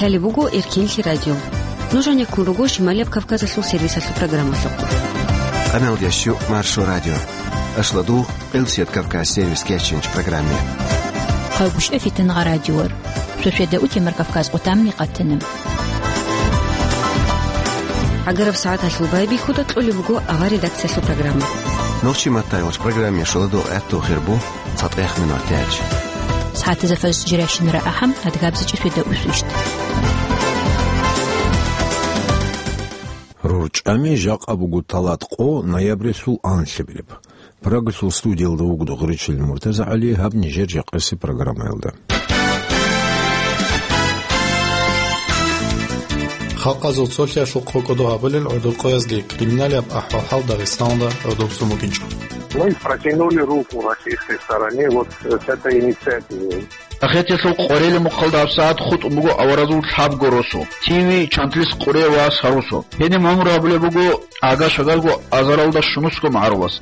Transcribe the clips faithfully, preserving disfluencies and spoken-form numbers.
Лъалеб буго Эркенлъи радио. Нуж гьанеккун руго Шималияб Кавказалъул сервисалъул программалъухъ. Къаналда щу Маршо радио. Ашладу Къилсият Кавказ сервис кечинч программе. Хъалгушев Фитангъа радиор. Сосведа утемар Кавказ къутамни къатана. Агараб сагӀаталъул байбихьуда кьолеб буго авар редакциялъул программа. Нохчи маттайгъоч программе шоладо этту хирбу. ЦатӀех минут тяч. СагӀатазда фаз жирашинара ахӀам, адгабзичӀи светда усвищт. РорчӀами жакъа буго талат къо ноябрилъул анлъабилеб. Прагалъул студиялда вугода Гъуричил МуртазагӀали, гьаб нижер жакъаси программаялда. Халкъазул цолъиялъул къокӀодо гьабулел гӀодор къоязги криминалияб ахӀвал-хӀал Дагъистаналда гӀодобцун букӀинчӀо. Мы протянули руку российской стороне вот с этой инициативой. Ахирталъул къорелеб мухъалда гьабсагӀат хутӀун буго аваразул лъабго росу, Тиви, Чантлис, Къуре ва Сарусу. Гьениб гӀумру гьабулеб буго агаш-агарго азаралда щунусго магӀарулас.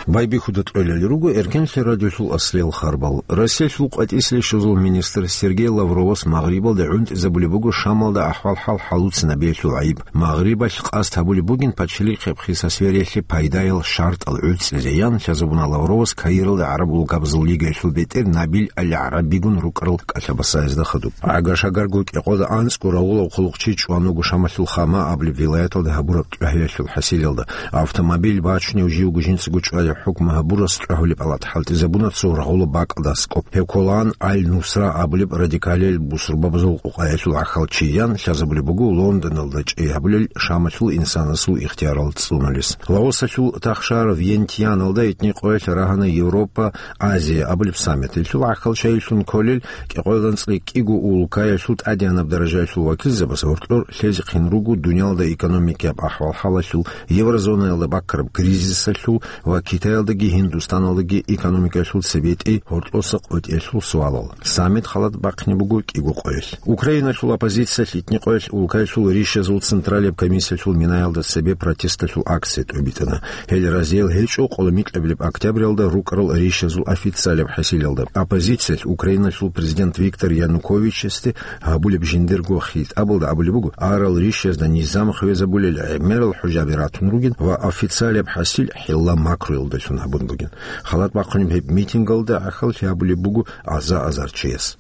Байбихьуда кьолел руго Эркенлъи радиолъул аслиял харбал. Россиялъул къватӀислъи щвезул министр Сергей Лавровас Магърибалде гӀунтӀизабулеб буго Шамалда ахӀвал-хӀал хӀалуцинабиялъул гӀайиб. Магърибалъ къасд гьабулеб бугин пачалихъеб хиса свериялъе пайдаял шартӀал гӀуцӀизеян, лъазабуна Лавровас Каиралда ГӀараб улкабазул лигаялъул бетӀер Набил Аль-ГӀарабигун рукӀарал кӀалъабасаязда хадуб. Агаш-агарго кӀикъоялда анцӀго рагъулав хъулухъчи чӀван вуго Шамалъул Хама абулеб вилаяталда гьабураб тӀагӀиялъул хӀасилалда. Автомобиль бачунев живго жинцаго чӀвазе хӀукму гьабурас чӀвагьулеб палат хӀалтӀизабуна цо рагъулаб бакӀалда аскӀоб. Гьев кколаан Аль-Нусра абулеб радикалиял бусурбабазул къукъаялъул гӀахьалчиян, лъазабулеб буго Лондоналда чӀей гьабулел Шамалъул инсанасул ихтиярал цӀунулес. Лавросалъул тахшар Вьентьяналда итни къоялъ рагьана Европа, Азия абулеб саммит. Гьелъул гӀахьалчайилъун кколел кӀикъоялда анцӀила кӀиго улкаялъул тӀадегӀанаб даражаялъул вакилзабаз гьоркьор лъезехъин руго дуниялда экономикаяб ахӀвал-хӀалалъул, еврозонаялда баккараб кризисалъул ва Китаялдаги Гьиндустаналдаги экономикаялъул цебетӀи гьоркьоса къотӀиялъул суалал. Саммит халат бахъине буго кӀиго къоялъ. Украиналъул оппозициялъ итни къоялъ улкаялъул ришазул Централияб комиссиялъул минаялда цебе протесталъул акция тӀобитӀана. Гьел разиял гьечӀо къоло микьабилеб октябралда рукӀарал ришазул официалияб хӀасилалда. Оппозициялъ Украиналъул президент Виктор Януковичасде гьабулеб жиндирго хитӀабалда абулеб буго, арал ришазда низам хвезабулел гӀемерал хӀужаби ратун ругин ва официалияб хӀасил хӀилла макруялдалъун гьабун бугин. Халат бахъунеб гьеб митингалда гӀахьаллъи гьабулеб буго аза-азар чияс.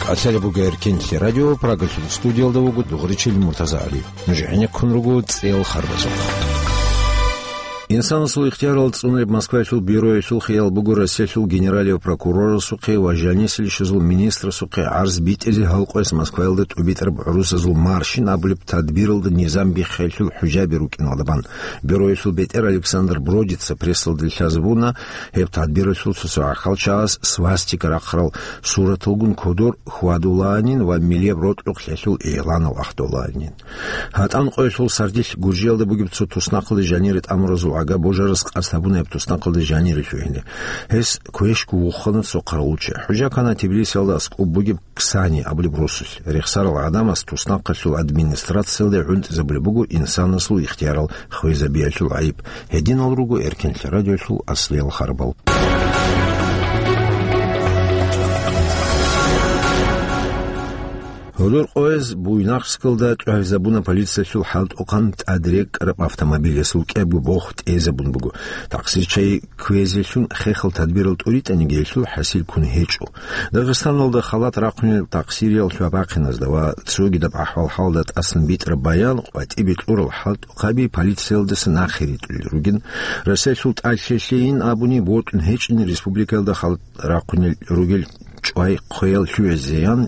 КӀалъалеб буго Эркенлъи радио, Прагалъул студиялда вуго Дугъричил МуртазагӀали. Нуж гӀенеккун руго цӀеял харбазухъ. Инсанасул ихтиярал цӀунулеб Москваялъул бюроялъул хиял буго Россиялъул генералияв прокурорасухъе ва жанисел щвезул министрасухъе гӀарз битӀизе гьал къояс Москваялда тӀубитӀараб гӀурусазул маршин абулеб тадбиралда низам биххиялъул хӀужаби рукӀиналда бан. Бюроялъул бетӀер Александр Бродица прессалде лъазабуна, гьеб тадбиралъул цо-цо гӀахьалчагӀаз свастика рахъарал сураталгун кодор хьвадулаанин ва милияб рокьукълъиялъул игъланал ахтулаанин. ГьатӀан къоялъул сардилъ Гуржиялда бугеб цо туснахъалде жанире тӀамуразул гӀага божарас къасд гьабуна гьеб туснахъалде жанире лъугьине. Гьес квешго вухана цо хъаравулчи. ХӀужа ккана Тбилисиялда аскӀоб бугеб Ксани абулеб росулъ. Рехсарал гӀадамас туснахъалъул администрациялде гӀунтӀизабулеб буго инсанасул ихтиярал хвезабиялъул гӀайиб. Гьединал руго Эркенлъи радиолъул аслиял харбал. Гьодор къояз Буйнакскалда тӀогьизабуна полициялъул хӀалтӀухъан тӀад рекӀкӀараб автомобиль, гьесул кӀиябго бох тӀезабун буго. Такъсирчи кквезелъун хехал тадбирал тӀуритӀаниги гьелъул хӀасил ккун гьечӀо. Дагъистаналда халат рахъунел такъсириял лъугьа-бахъиназда ва цогидаб ахӀвал-хӀалда тӀасан битӀараб баян къватӀибе кьурал хӀалтӀухъаби полициялдаса нахъе ритӀулел ругин. Россиялъул тӀад лъелъейин абуни, бокьун гьечӀин республикаялда халат рахъунел ругел чӀвай хъвеял лъугӀизеян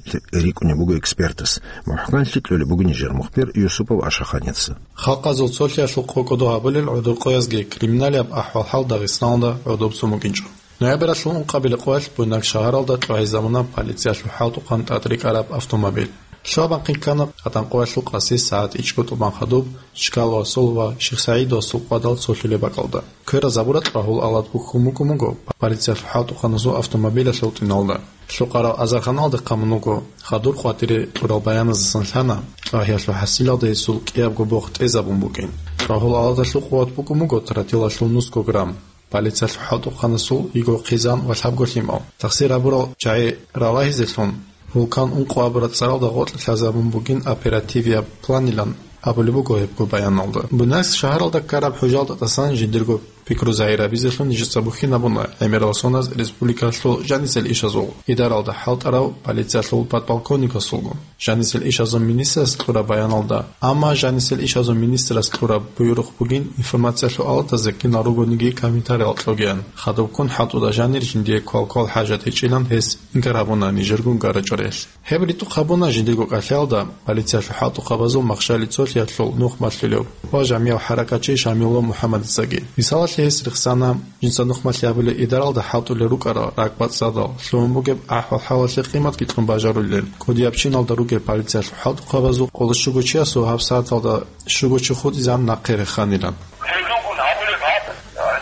рикӀкӀунеб буго экспертас. МухӀканлъи кьолеб буго нижер мухбир Юсупов Ашаханица. Халкъазул цолъиялъул къокӀодо гьабулел гӀодор къоязги криминалияб ахӀвал-хӀал Дагъистаналда гӀодобцун букӀинчӀо. Ноябралъул ункъабилеб къоялъ Буйнакск шагьаралда тӀогьизабуна полициялъул хӀалтӀухъан тӀад рекӀараб автомобиль. Лъугьа-бахъин ккана гьатӀан къоялъул къаси сагӀат ичӀго тӀубан хадуб Чкаловасул ва ШихсагӀидовасул къвадал цолъулеб бакӀалда. Кверазабураб тӀагьул алад бухьун букӀун буго полициялъул хӀалтӀухъаназул автомобилалъул тӀиналда. Лъукъарал азарханалда хъамун вуго, хадур къватӀире кьурал баяназдасан лъана, тӀагьиялъул хӀасилалда гьесул кӀиябго бох тӀезабун букӀин. ТӀагьул аладалъул къуват букӀун буго тротилалъул нусго грамм. Полициялъул хӀалтӀухъанасул йиго хъизан ва лъабго лъимал. Тахсир гьабурал чагӀи ралагьизелъун, Вулкан Ункъо абураб цӀаралда гъоркь лъазабун бугин оперативияб планилан абулеб буго гьебго баяналда. Буйнакск шагьаралда ккараб хӀужалда тӀасан жиндирго пикру загьирабизелъун нижеца бухьинабуна гӀемерал соналъ республикалъул жанисел ишазул, идаралда хӀалтӀарав полициялъул подполковникасулгун. Жанисел ишазул министрас кьураб баяналда, амма жанисел ишазул министрас кьураб буюрухъ бугин информациялъул аладазе кинал ругониги комментариялъ кьогеян. Хадубккун хӀалтӀуда жанир жиндие квал-квал хӀажат гьечӀилан гьес инкар гьабуна нижергун гарачӀариялъе. Гьеб ритӀухъ гьабуна жиндирго кӀалъиялда полициялъул хӀалтӀухъабазул махщали цолъиялъул нухмалъулев ва жамияв хӀаракатчи Шамилов МухӀаммадицаги. Мисалалъе гьес рехсана, жинца нухмалъи гьабулеб идаралда хӀалтӀулел рукӀарал ракӀбацӀцӀадал лъугьун бугеб ахӀвал-хӀалалъе къиматги кьун бажарулел. КӀудияб чиналда ругел полициялъул хӀалтӀухъабазул къоло щуго чиясул гьабсагӀаталда щуго чи хутӀизегӀан нахъе реханилан. Гьезулгун гьабулеб гьаб,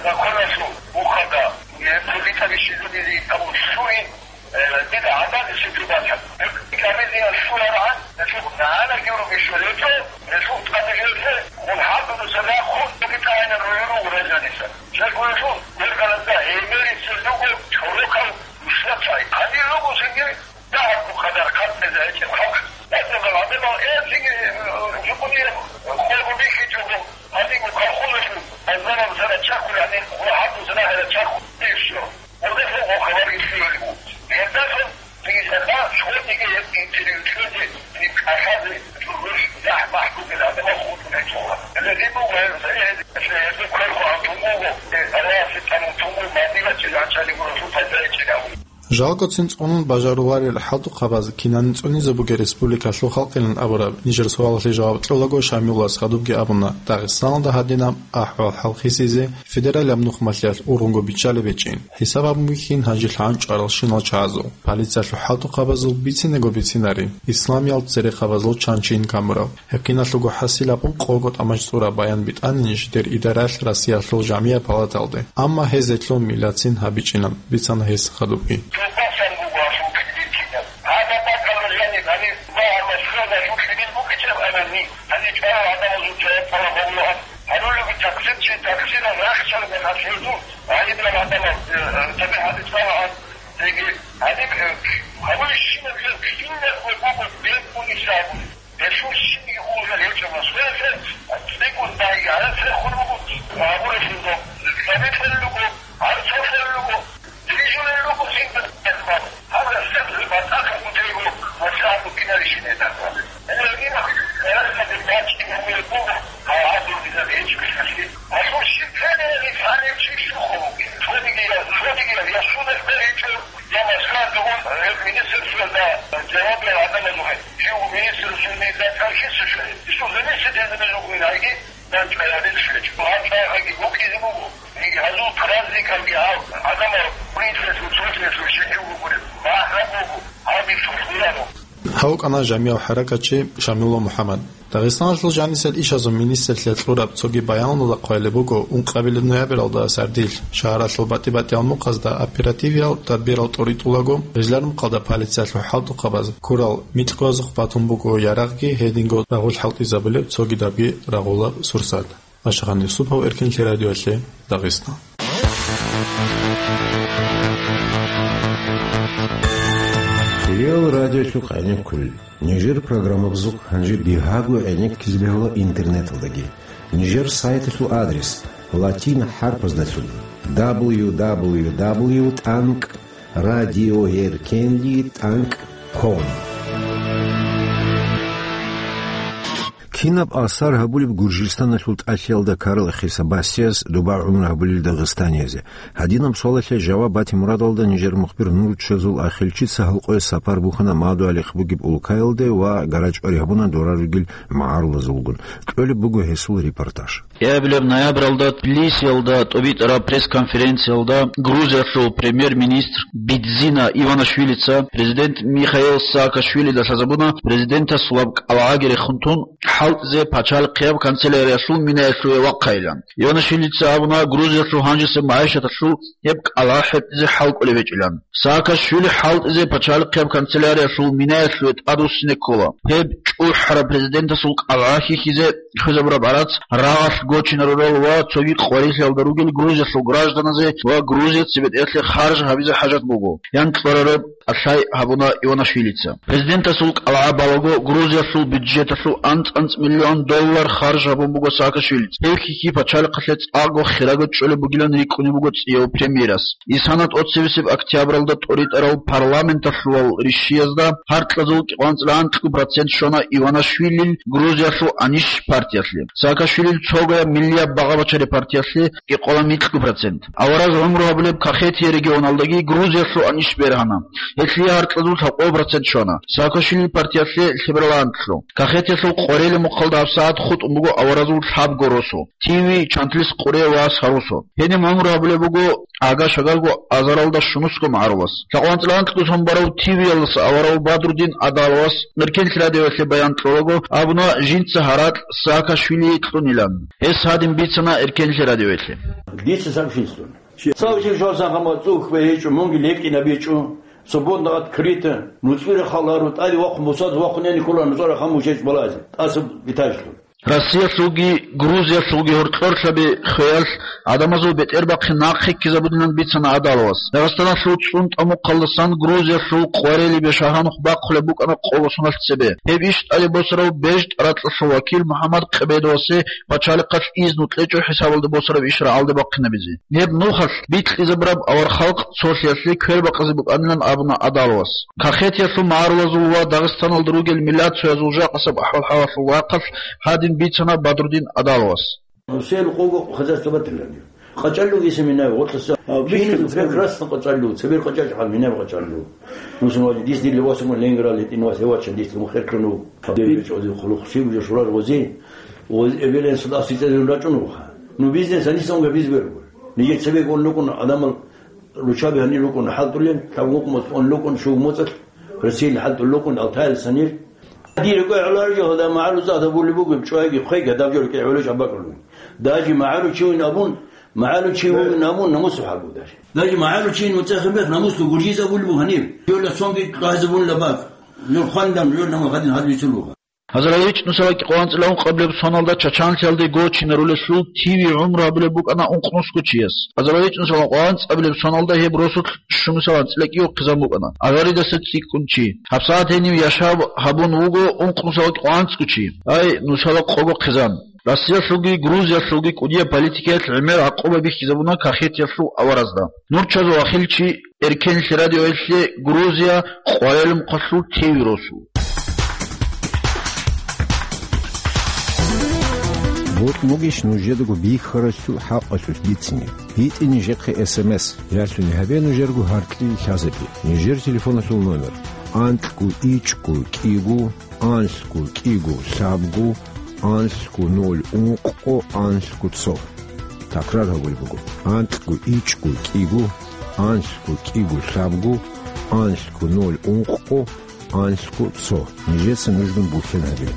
законалъул ухада, гьеб цогидаб щиб жо дизе абун лъугьин, э, дида гӀадамазе щиб жо бачӀа. Гьеб гьабизе щураргӀан, гьелъул нагӀанаги ругел щвелечӀо, гьелъул тӀаде гьелъе, мун гьаб дуца нахъун цогидайилан ругел руго гражданица. Жагьлуялъул бергьалазда гӀемерисел руго чорокал рушла чай. Гьанир руго цинги дагьабго къадар хъатӀизе гьечӀеб халкъ. БацӀцӀадал гӀадамал, э, цинги, э, жукъунияб хъвего бихьичӀого, гьанибго хъалхулелъул азарал сара чахъулани ва гьаб дуза нагьила чахъулеб що. Гьелдасан гъо хабар ишиялъул. Гьелдасан цинги саха школниги гьеб интервью кьезе, гьеб кӀалъазе, жугьуш, яхӀ-махӀ бугел гӀадамал хутӀун гьечӀола. Гьеле буго гьел, гьел, гьел, гьел кверху гьантун буго, э, Аллагьасе тӀамун тун буго, мадилачи гьанчалиго расул пайда гьечӀинав. Жалгоцин цӀунун бажаруларел хӀалтӀухъабаз кинанин цӀунизе бугеб республикалъул халкъилан абураб нижер суалалъе жаваб кьолаго Шамилас хадубги абуна, Дагъистаналда гьадинаб ахӀвал-хӀал хисизе федералияб нухмалъиялъ ургъунго биччалеб гьечӀин. ХӀисаб гьабун бихьин гьанже лъан чӀваралщинал чагӀазул. Полициялъул хӀалтӀухъабазул бицинего бицинари, исламиял церехъабазул чанчийин камурав. Гьеб киналъулго хӀасилаб къого тӀамачӀ цӀураб баян битӀанин жидер идаралъ Россиялъул жамияб палаталде, амма гьезелъул миллатцин гьабичӀилан, бицана гьес хадубги. Тупасан буго гьалъул кьибил кинаб. Гьаб бакӀалда жаниб гьаниб ва гьаб Москвада жутлъинин букӀичӀеб гьанани, гьаниб чӀварал гӀадамазул жаваб тӀалаб гьабулаан. Гьарулеги таксирчи таксирал рахчалда гьалъулъул гьанибал гӀадамал, э, э, табигӀат исламагӀан, цеги гьаниб, э, гьабулищинаб жо кинабго буго бекӀунищ абуни. Гьелъул щибги улел гьечӀо Москваялъе, цӀикӀкӀун дайги гьарацӀ рехун руго, гьабуралъул доб лъабикьарал руго, гьарцахъарал руго, дирижерал руго, гьеб гьеб гьаб, гьаб рахсалъул батӀакалъун тего, ва лъабго кинарищинай тӀаса. Гьеле гьеб гьарацӀаде бачӀин гьавияб буго, гьав гьадур диза гьечӀо гьелъалъе. Гьалъул щиб ккелей гьаниб чи щухъун вугин? Цогиги я, цогиги я, я суд гьечӀо. Я Москваялда ун, гьеб министерствоялда жавабиял гӀадамазухъе, жив министерствоялда тӀад хисичӀо. Исул замесидезабазухъе гьайги, дандчӀваялдезе щвечӀо. Гьаб чӀвайхъаги букӀизе буго. Гьезул праздникалги гьав гӀадамал принципалъул цолъиялъул щиб бугеб, бахӀараб буго, гьаб иш хурхуларо. Гьав вукӀана жамияв хӀаракатчи Шамилов МухӀаммад. Дагъистаналъул жанисел ишазул министрлъиялъ кьураб цоги баяналда хъвалеб буго, ункъабилеб ноябралда сардилъ шагьаралъул батӀи-батӀиял мухъазда оперативиял тадбирал тӀуритӀулаго, гъижлармухъалда полициялъул хӀалтӀухъабаз ккурал микьгоязухъ батун буго ярагъги гьединго рагъул хӀалтӀизабулеб цогидабги рагъулаб сурсат. Ашгъан Юсупов, Эркенлъи радиоялъе, Дагъистан. Хириял радиолъухъ гӀенеккулел. Нижер программабазухъ гьанже бигьаго гӀенеккизе бегьула интернеталдаги. Нижер сайталъул адрес: латин хӀарпаздалъун: дабл ю дабл ю дабл ю тӀанкӀ радиоэркенлъи тӀанкӀ ком. Кинаб асар гьабулеб Гуржистаналъул тӀалъиялда ккарал Эхесабасияс доба гӀумру гьабулел дагъистаниязе? Гьадинаб суалалъе жаваб бати мурадалда нижер мухбир Нурчазул Ахилчица гьалкъоялъ сапар бухьана Мадугьалихъ бугеб улкаялде ва гарачӀвари гьабуна дора ругел магӀарулазулгун. Кьолеб буго гьесул репортаж. Гьеб ноябралда Тбилисиялда тӀубитӀараб пресс-конференциялда Грузиялъул премьер-министр Бидзина Иванашвилица президент Михаил Саакашвилида лъазабуна президентасулаб кӀалгӀаги рехун тун хӀалтӀизе пачалихъияб канцеляриялъул минаялъуве вахъайилан. Иванашвилица абуна Грузиялъул гьанжесеб магӀишаталъул гьеб кӀалгӀа хӀетӀизе хӀал кӀолеб гьечӀилан. Саакашвили хӀалтӀизе пачалихъияб канцеляриялъул минаялъуве тӀадвуссине ккола. Гьеб чӀухӀараб президентасул кӀалгӀа хьихьизе хвезабураб гӀарац рагъалъ гочинарурал ва цоги къварилъиялда ругел Грузиялъул гражданазе ва Грузияца бетӀерлъи харж гьабизе хӀажат буго, ян кьурараб кӀалъай гьабуна Иванашвилица. Президентасул кӀалгӀа балаго, Грузиялъул бюджеталъул анцӀ-анцӀ миллион доллар харж гьабун буго Саакашвилица. Гьеб хьихьи пачалихъалъе цӀакъго хирага чӀолеб бугилан рикӀкӀунеб буго цӀияв премьерас. Исана тӀоцебесеб октябралда тӀоритӀарал парламенталъулал ришшиязда гьаркьазул кӀикъоанцӀила анкьго процент щвана Иванашвилил Грузиялъул АНИШ партиялъе. Саакашвилил цогояб миллияб багъа-бачари партиялъе кӀикъола микьго процент. Авараз гӀумру гьабулеб Кахетия регионалдаги Грузиялъул АНИШ бергьана. Гьелъие гьаркьазул лъабкъо процент щвана. Саакашвилил партиялъе лъебералаантлъу. Кахетиялъул къварили мухъалда гьабсагӀат хутӀун буго аваразул лъабго росу, Тиви, Чантлис Къуре ва Сарусу. Гьениб гӀумру гьабулеб буго ага-шагарго азаралда щунусго магӀарулас. ЛъабкъоанцӀила анкьго сон барав Тивиялдаса аварав Бадрудин Адаловас Эркенлъи радиоялъе баян кьолаго абуна жинца гьаракь Саакашвилие кьунилан. Гьес гьадин бицана Эркенлъи радиоялъе. Дица сообщение. Цав жив жавсан гьама цӀухбе гьечӀо, мунги лекӀинаб гьечӀо, свободно открыто, нуцӀбира халаро, тӀаде вахъун бусазе вахъун яни ккола нуцӀара хам мушеч балазе, тӀаса биташлъун. Россиялъулги Грузиялъулги гьоркьорлъаби хвеялъ гӀадамазул бетӀербахъи нахъе ккезабудинан бицана Адаловас. Дагъистаналъул цӀун тӀамухъалдасан Грузиялъул къварилибе шагьанухъ бахъулеб букӀана къолосуналъ цебе. Гьеб иш тӀаде босарав БежтӀаракьалъул вакил МухӀаммад Къебедовасе пачалихъалъ изну кьечӀо хӀисабалда босараб иш рагӀалде бахъинабизе. Гьеб нухалъ бикьизабураб авархалкъ цолъиялъе квербакъизе букӀанилан абуна Адаловас. Кахетиялъул магӀарулазул ва Дагъистаналда ругел миллатуязул жакъасаб ахӀвал-хӀалалъул рахъалъ гьадин бицана Бадрудин Адаловас. Все лукъого хозяйство батилани. КъачӀаллуги семена, вот лъаса. А, Бихьизаб бихьизаб. Прекрасно къачӀаллу, цебер къачӀачӀ гьал, минаб къачӀаллу. Мусун вади, дис дилли васумун Ленинград летӀин вас, гьевачан дис лумхеркьуну. Дир чӀози хъулухъ сиб жо шурар вози. Вози эвелен садас сицӀезун рачӀун вуха. Ну, бизнес гьаниса унга биз берго. Нижер цебе гон лукӀун адамал ручаби гьанир рукӀун хӀалтӀулел, тавгъукъ моцӀ он лукӀун шув моцӀалъ, Россиял хӀалтӀул лукӀун Алтайал санир. Дир гӀолар жо гьада магӀару зада були бугеб чӀвайги хъвеги гьадаб жо рекӀе гӀоло чӀабакӀулун. Даже магӀару чи вин абун, магӀару чи вугин абун намусу хӀалбу даже. Даже магӀару чи вин вуцӀехъе бех намусу гуржизабулеб бугьаниб. Жо ласонги къайзабун лабак. Жо хвандан, жо нама гъадин гьадбицул бугьа. Гьазар гьабичӀ нусала кӀикъоанцӀила ункъабилеб соналда Чачанлъиялде гочинарулелъул Тиви гӀумру гьабулеб букӀана ункънусго чияс. Гьазар гьабичӀ нусала кӀикъоанцӀабилеб соналда гьеб росулъ щумусалан цӀилакӀиго хъизан букӀана. Аваридаса цӀикӀкӀун чи. ГьабсагӀат гьенив яшав гьабун вуго ункънусала кӀикъоанцӀго чи. Ай, нусала къого хъизан. Россиялъулги Грузиялъулги кӀудияб политикаялъ гӀемер гӀакъуба бихьизабуна кахетиялъул аваразда. Нур чазул ахил чи Эркенлъи радиоялъе Грузия къварилмухъалъул Тиви росу. Бокь бугищ нужедаго бихьаралъул хӀакъалъулъ бицине? БитӀе нижехъе эс эм эс, ялъуни гьабе нужерго гьаркьил лъазаби. Нижер телефоналъул номер: анкьго ичӀго кӀиго, анлъго кӀиго лъабго, анлъго ноль ункъго, анлъго цо. Такрар гьабулеб буго: анкьго ичӀго кӀиго, анлъго кӀиго лъабго, анлъго ноль ункъго, анлъго цо. Нижеца нужгун бухьен гьабе.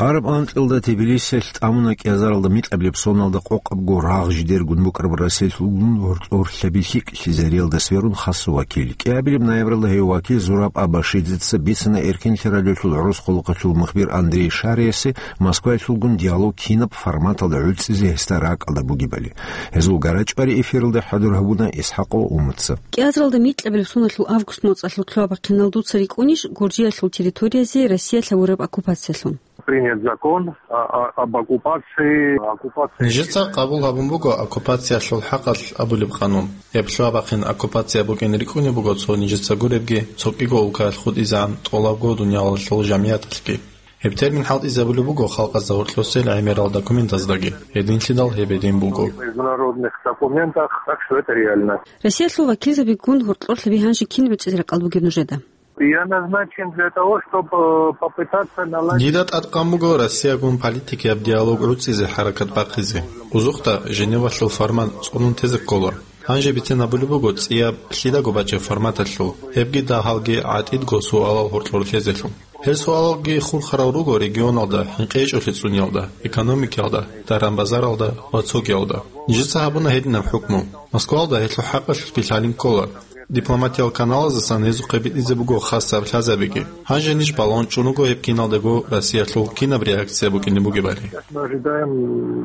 Араб анкьилда Тбилисиялъ тӀамуна кӀиазаралда микьабилеб соналда къокъабго рагъ жидергун букӀараб Россиялъулгун гьоркьор лъаби лъикӀлъизариялда сверун хасу вакил. КӀиабилеб ноябралда гьев вакил Зураб Абашидзеца бицана Эркенлъи радиолъул гӀурус хъулухъалъул мухбир Андрей Шариясе Москваялъулгун диалог кинаб форматалда гӀуцӀизе гьесда ракӀалда бугебали. Гьезул гарачӀвари эфиралда хӀадур гьабуна ИсхӀакъов Умутца. КӀиазаралда микьабилеб соналъул август моцӀалъул лъугьа-бахъиналда дуца рикӀкӀунищ Гуржиялъул территориязе Россиялъ гьавураб оккупациялъун? Принят закон о, о, об оккупации, оккупации. Нижеца къабул гьабун буго оккупациялъул хӀакъалъ абулеб къанун. Гьеб лъугьа-бахъин оккупация букӀин рикӀкӀунеб буго цо нижеца гуребги, цо кӀиго улкаялъ хутӀизегӀан тӀолабго дуниялалъул жамигӀаталъги. Гьеб термин хӀалтӀизабулеб буго халкъазда гьоркьосел гӀемерал документаздаги, гьединлъидал гьеб гьедин буго. Международных документах, так что это реально. Россиялъул вакилзабигун гьоркьор лъаби гьанже кин гӀуцӀизе ракӀалда бугеб нужеда? Я назначен для того, чтобы, э, попытаться наладить. Дида тӀадкъан буго Россиягун политикияб диалог гӀуцӀизе хӀаракат бахъизе. Узухъда Женевалъул формат цӀунун тезе ккола. Гьанже бицен абулеб буго цӀияб лъидаго бачӀеб форматалъул, гьебги дагьалги гӀатӀидго суалал гьоркьор лъезелъул. Гьел суалалги хурхарал руго регионалда, хӀинкъи гьечӀолъи цӀуниялда, экономикаялда, даран-базаралда ва цогиялда. Нижеца гьабуна гьединаб хӀукму. Москваялда гьелъул хӀакъалъулъги лъалин ккола. Дипломатиял каналаздасан гьезухъе битӀизе буго хасаб лъазабиги. Гьанже ниж балагьун чӀун руго гьеб киналдаго Россиялъул кинаб реакция букӀине бугебали. Мы ожидаем,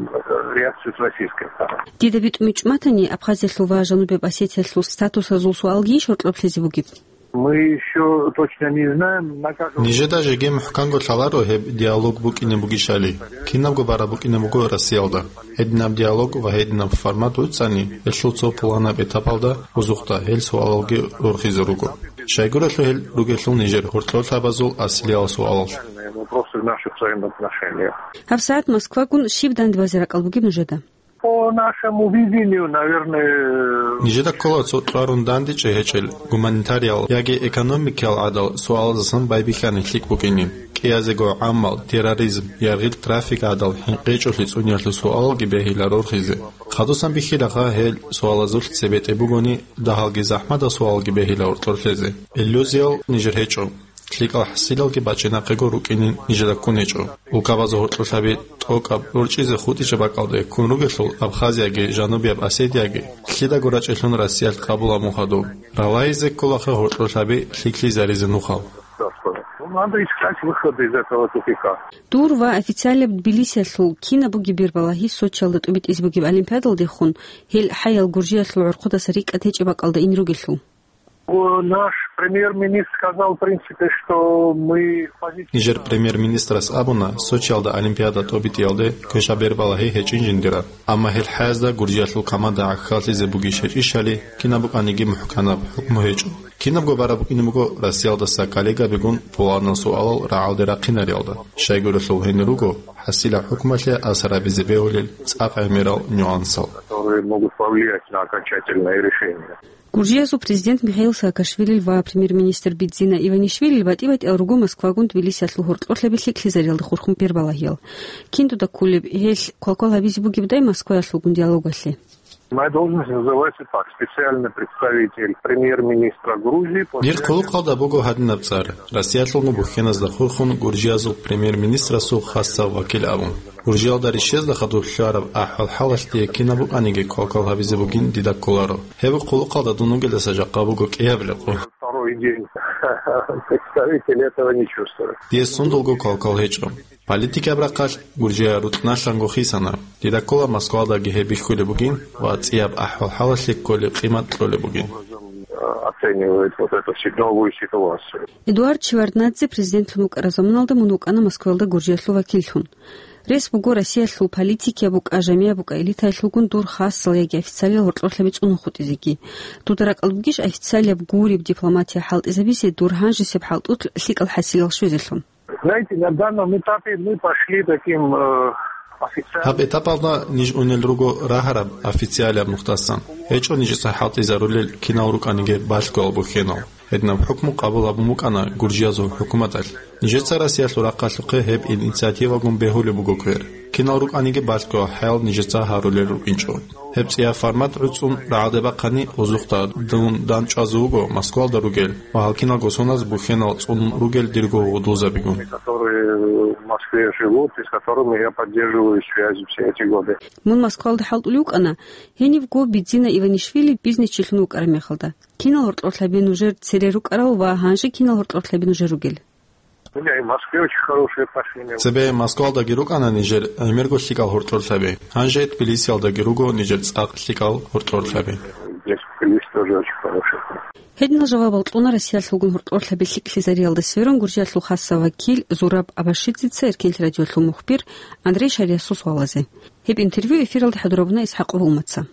э, реакцию с российской стороны. Дида битӀун бичӀчӀуматани, Абхазиялъул ва Жанубияб Осетиялъул статусазул суалги гьоркьоб лъезе бугеб? Мы ещё точно не знаем, на как. Нижеда жеги мухӀканго лъаларо гьеб диалог букӀине бугищали. Кинабго бараб букӀине буго Россиялда. Гьединаб диалог ва гьединаб формат вуцӀцӀани, гьелъул цо пуланаб этапалда, озухъда, гьел суалалги рорхизе руго. Щайгурелъул гьел ругелъул нижер гьоркьорлъабазул асилиял суалал. Вопросы в наших взаимоотношениях. ГьабсагӀат Москвагун щиб дандбазе ракӀал бугеб нужеда? По нашему видению, наверное, нижеда ккола цо кьварун дандечӀей гьечӀел гуманитариял яги экономикиял гӀадал суалаздасан байбихьани лъикӀ букӀине. КӀиязего гӀамал, терроризм, яргъил трафик гӀадал хӀинкъичӀолъи цӀуниялъул суалалги бегьила рорхизе. Хадусан бихьилаха гьел суалазулъ цебетӀе бугони, дагьалги захӀмадал суалги бегьила гьоркьор лъезе. Иллюзиял нижер гьечӀо. ЛъикӀал хӀасилалги бачинахъего рукӀинин нижеда ккун гьечӀо. Улкабазул гьоркьорлъаби тӀокӀаб рорчӀизе хутӀича бакӀалде ккун ругелъул, Абхазияги Жанубияб Осетияги лъидаго рачӀелъун Россиялъ къабулаб мухъадуб. Ралагьизе кколаха гьоркьорлъаби лъикӀлъизаризе нухал. Ну, надо искать выходы из этого тупика. Дур ва официалияб Тбилисиялъул кинаб бугеб бербалагьи Сочиялда тӀубитӀизе бугеб олимпиадалдехун, гьел хӀаял Гуржиялъул гӀорхъудаса рикӀкӀад гьечӀеб бакӀалда ин ругелъул. Наш премьер-министр сказал, в принципе, что мы в позиции. Нижер премьер-министрас абуна, Сочиялда олимпиада тӀобитӀиялде квешаб бербалагьи гьечӀин жиндираб. Амма гьел хӀаязда Гуржиялъул команда гӀахьаллъизе бугищ гьечӀищали, кинаб букӀаниги мухӀканаб хӀукму гьечӀо. Кинабго бараб букӀине буго Россиялдаса коллегабигун пуланал суалал рагӀалде рахъинариялда. Щайгурелъул гьенир руго хӀасилаб хӀукмалъе асар гьабизе бегьулел цӀакъ гӀемерал нюансал. Которые могут повлиять на окончательное решение. Гуржиязул президент Михаил Саакашвилил ва премьер-министр Бидзина Иванишвилил батӀи-батӀиял руго Москвагун Тбилисиялъул гьоркьорлъаби лъикӀлъизариялда хурхун бербалагьиял. Кин дуда кколеб, гьелъ квалквал гьабизе бугебдай Москваялъулгун диалогалъе? Моя должность называется так: специальный представитель премьер-министра Грузии по. Дир хъулухъалда буго гьадинаб цӀар: Россиялъулгун бухьеназда хурхун Гуржиязул премьер-министрасул хасав вакил абун. Гуржиялда рищезда хадур лъугьараб ахӀвал-хӀалалъ дие кинаб букӀаниги квалквал гьабизе бугин дида кколаро. Гьеб хъулухъалда дун вугелдаса жакъа буго кӀияб рекъо. Второй день представитель этого не чувствует. Дие сундулго квалквал гьечӀо. Политикияб рахъалъ Гуржия рукьналъанго хисана. Дида ккола Москвадаги гьеб бихьулеб бугин ва цӀияб ахӀвал-хӀалалъе кколеб къимат кьолеб бугин. Оценивает вот эту си-, новую ситуацию. Эдуард Шеварднадзе президентлъун вукӀараб заманалда мун вукӀана Москваялда Гуржиялъул вакиллъун. Рес буго Россиялъул политикияб букӀа, жамияб букӀа, элитаялъулгун дур хасал яги официалиял гьоркьорлъаби цӀунун хутӀизеги. Дуда ракӀалда бугищ официалияб гуреб дипломатия хӀалтӀизабизе дур гьанжесеб хӀалтӀулъ лъикӀал хӀасилал щвезелъун? Знаете, на данном этапе мы пошли таким, э, официальным. Гьаб этапалда ниж унел руго рагьараб официалияб нухдасан. ГьечӀо нижеца хӀалтӀизарулел кинал рукӀаниги балъгоял бухьенал. Гьединаб хӀукму къабул гьабун букӀана Гуржиязул хӀукуматалъ. Нижеца Россиялъул рахъалъухъе гьеб инициативагун бегьулеб буго квер. Кинал рукӀаниги балъго хӀаял нижеца гьарулел рукӀинчӀо. Гьеб цӀияб формат гӀуцӀун рагӀалде бахъани, озухъда дун дандчӀвазе вуго Москвалда ругел ва гьал киналго соназ бухьенал цӀунун ругел дирго гъудузабигун. Которые в Москве живут и с которыми я поддерживаю связи все эти годы. Мун Москвалда хӀалтӀулев вукӀана, гьенивго Бидзина Иванишвили бизнесчилъун вукӀараб мехалда. Кинал гьоркьорлъаби нужер цере рукӀарал ва гьанже кинал гьоркьорлъаби нужер ругел? У меня и в Москве очень хорошие отношения. Цебе Москвалдаги рукӀана нижер гӀемерго лъикӀал гьоркьорлъаби. Гьанже Тбилисиялдаги руго нижер цӀакъ лъикӀал гьоркьорлъаби. Здесь в Тбилиси тоже очень хорошие отношения. Гьединал жавабал кьуна Россиялъулгун гьоркьорлъаби лъикӀлъизариялда сверун Гуржиялъул хасав вакил Зураб Абашидзеца Эркенлъи радиолъул мухбир Андрей Шариясул суалазе. Гьеб интервью эфиралда хӀадурабуна Исхакъ Гьулмаца.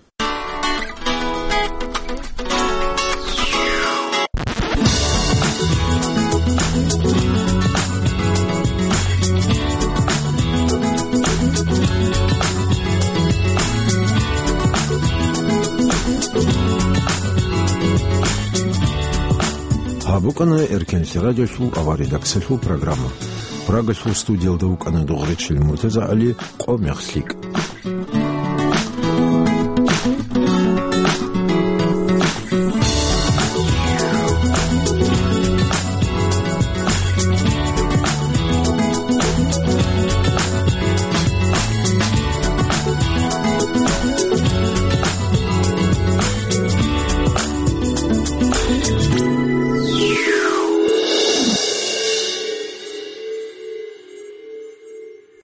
Гьаб букӀана Эркенлъи радиолъул авария даксалъул программа. Прагалъул студиялда вукӀана Дугъречил МуртазагӀали. Къо мех лъикӀ.